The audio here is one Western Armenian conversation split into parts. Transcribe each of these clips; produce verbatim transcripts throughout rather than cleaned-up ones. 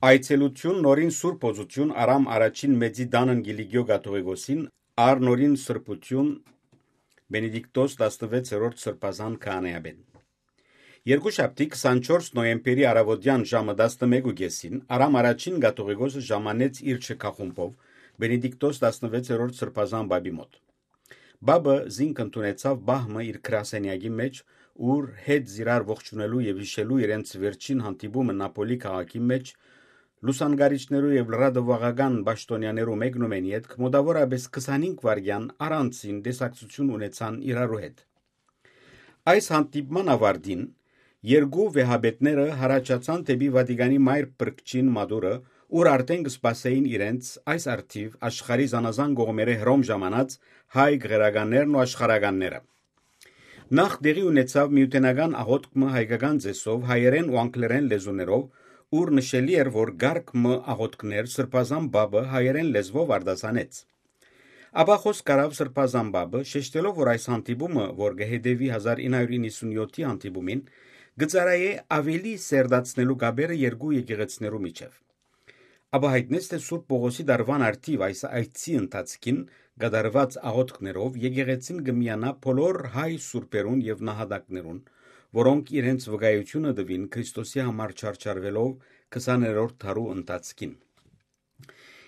Այցելութիւն նորին Սուրբ Օծութիւն Արամ Առաջին Մեծի տանն Կիլիկիոյ կաթողիկոսին, առ նորին Սրբութիւն Բենեդիկտոս տասնվեցերորդ Սրբազան քահանայապետին։ Երկուշաբթի քսանչորս նոյեմբերի առաւօտեան ժամը տասնմեկ ու կեսին Արամ Առաջին կաթողիկոսը ժամանեց իր շքախումբով Բենեդիկտոս տասնվեցերորդ Սրբազան պապի մօտ։ Պապը զինք ընդունեցաւ պահ մը իր գրասենեակի մէջ, ուր հետ զիրար ողջունելու եւ յիշելու իրենց վերջին հանդիպումը Նապոլի քաղաքի մէջ, լուսանկարիչներու եւ լրատուական պաշտօնեաներու մեկնումէն ետք մօտաւորապէս քսանհինգ վայրկեան առանձին տեսակցութիւն ունեցան իրարու հետ։ Այս հանդիպման աւարտին երկու վեհապետները հառաչացան դէպի Վատիկանի մայր փրկչին մատուռը, ուր արդէն կը սպասէին իրենց այս առթիւ աշխարհի զանազան կողմերէ հռոմ ժամանած հայ գղերականներն ու աշխարհականները։ Նախ տեղի ունեցաւ միութենական աղօթք մը հայկական ծեսով, հայերէն ու անգլերէն լեզուներով, ուր նշելի էր, որ կարգ մը աղօթքներ Սրբազան պապը հայերէն լեզվով արտասանեց։ Ապա խօսք առաւ Սրբազան պապը, շեշտելով, որ այս հանդիպումը, որ կը հետեւի հազար ինը հարիւր իննսունյոթի հանդիպումին, կը ծառայէ աւելի սերտացնելու կապերը երկու եկեղեցիներու միջեւ։ Ապա յայտնեց, թէ Սուրբ Պողոսի տարուան առթիւ այս այցի ընթացքին կատարուած աղօթքներով եկեղեցին կը միանայ բոլոր հայ սուրբերուն եւ նահատակներուն, որոնք իրենց վկայութիւնը տուին Քրիստոսի համար չարչարուելով քսաներորդ դարու ընթացքին։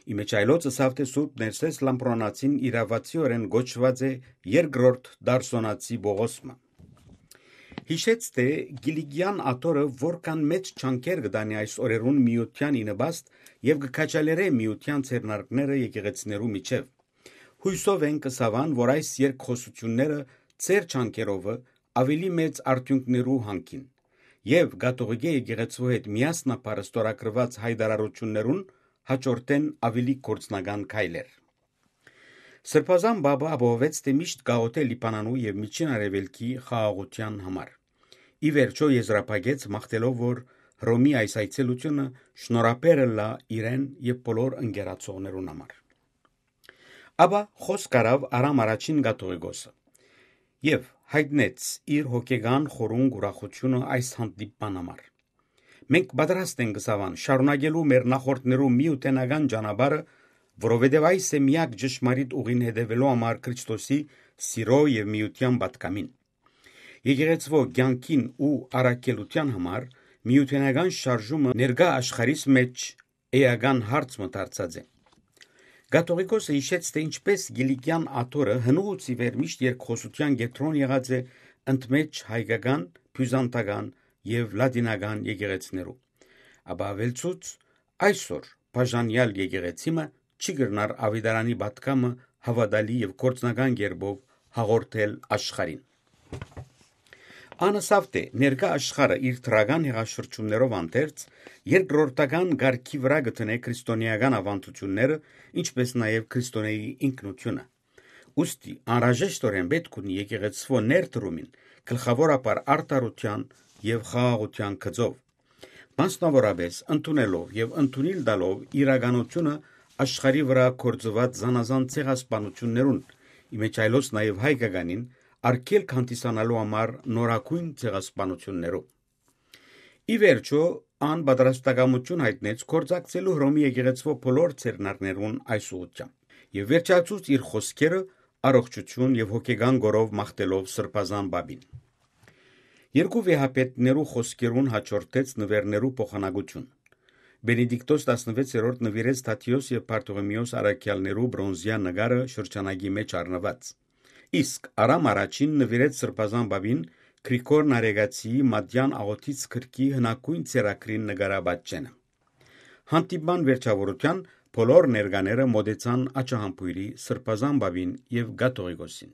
Ի մէջ այլոց ըսաւ, թէ Սուրբ Ներսէս Լամբրոնացին իրաւացիօրէն կոչուած է երկրորդ Դարսոնացի Պողոս մը։ Յիշեց, թէ Կիլիկիան աթոռը որքան մեծ չանքեր կը տանի այս օրերուն միութեան ի նպաստ եւ կը քաջալերէ միութեան ձեռնարկները եկեղեցիներու միջեւ։ Յուսով ենք, ըսաւ ան, որ այս երկխօսութիւնները ձեր չանքերովը աւելի մեծ արդիւնքներու յանքին եւ կաթողիկէ եկեղեցւոյ հետ միասնաբար ստորագրուած յայտարարութիւններուն հաջորդեն աւելի գործնական քայլեր։ Սրբազան պապը ապահովեց, թէ միշտ կաղօթէ Լիբանանու եւ Միջին Արեւելքի խաղաղութեան համար։ Ի վերջոյ եզրափակեց մաղթելով, որ Հռոմի այս այցելութիւնը շնորհաբեր ըլլայ իրեն եւ բոլոր ընկերակցողներուն համար։ Ապա խօսք առաւ Արամ Առաջին կաթողիկոսը եւ յայտնեց իր հոգեկան խորունկ ուրախութիւնը այս հանդիպման համար։ «Մենք պատրաստ ենք, ըսաւ ան, շարունակելու մեր նախորդներու միութենական ճանապարհը, որովհետեւ այս է միակ ճշմարիտ ուղին հետեւելու համար Քրիստոսի սիրոյ եւ միութեան պատգամին։ Եկեղեցւոյ կեանքին ու առաքելութեան համար միութենական շարժումը ներկայ աշխարհիս մէջ էական հարց մը դարձած է»։ Կաթողիկոսը յիշեց, թէ ինչպէս Կիլիկիան աթոռը հնուց ի վեր միշտ երկխօսութեան կեդրոն եղած է ընդմէջ հայկական, բիւզանդական եւ լատինական եկեղեցիներու, ապա աւելցուց. «Այսօր բաժանեալ եկեղեցի մը չի կրնար աւետարանի պատգամը հաւատալի եւ գործնական կերպով հաղորդել աշխարհին»։ Ան ըսաւ, թէ ներկայ աշխարհը իր դրական հեղաշրջումներով անդերձ երկրորդական կարգի վրայ կը դնէ քրիստոնէական աւանդութիւնները, ինչպէս նաեւ քրիստոնէի ինքնութիւնը։ Ուստի անհրաժեշտօրէն պէտք ունի եկեղեցւոյ ներդրումին, գլխաւորաբար արդարութեան եւ խաղաղութեան գծով, մասնաւորապէս ընդունելով եւ ընդունիլ տալով իրականութիւնը աշխարհի վրայ գործուած զանազան ցեղասպանութիւններուն, ի մէջ այլոց նաեւ հայկականին, արգելք հանդիսանալու համար նորագոյն ցեղասպանութիւններու։ Ի վերջոյ, ան պատրաստակամութիւն յայտնեց գործակցելու Հռոմի եկեղեցւոյ բոլոր ձեռնարկներուն այս ուղղութեամբ եւ վերջացուց իր խօսքերը առողջութիւն եւ հոգեկան կորով մաղթելով Սրբազան պապին։ Երկու վեհապետներու խօսքերուն հաջորդեց նուէրներու փոխանակութիւն։ Բենեդիկտոս տասնվեցերորդ նուիրեց Թադիոս եւ Բարթողեմիոս առաքեալներու բրոնզեայ նկարը շրջանակի մէջ առնուած։ Իսկ Արամ Առաջին նուիրեց Սրբազան պապին Գրիգոր Նարեգացիի մատեան աղօթից գրքի հնագոյն ձեռագրին նկարապատճենը։ Հանդիպման վերջաւորութեան բոլոր ներկաները մօտեցան աջահամբոյրի Սրբազան պապին եւ կաթողիկոսին։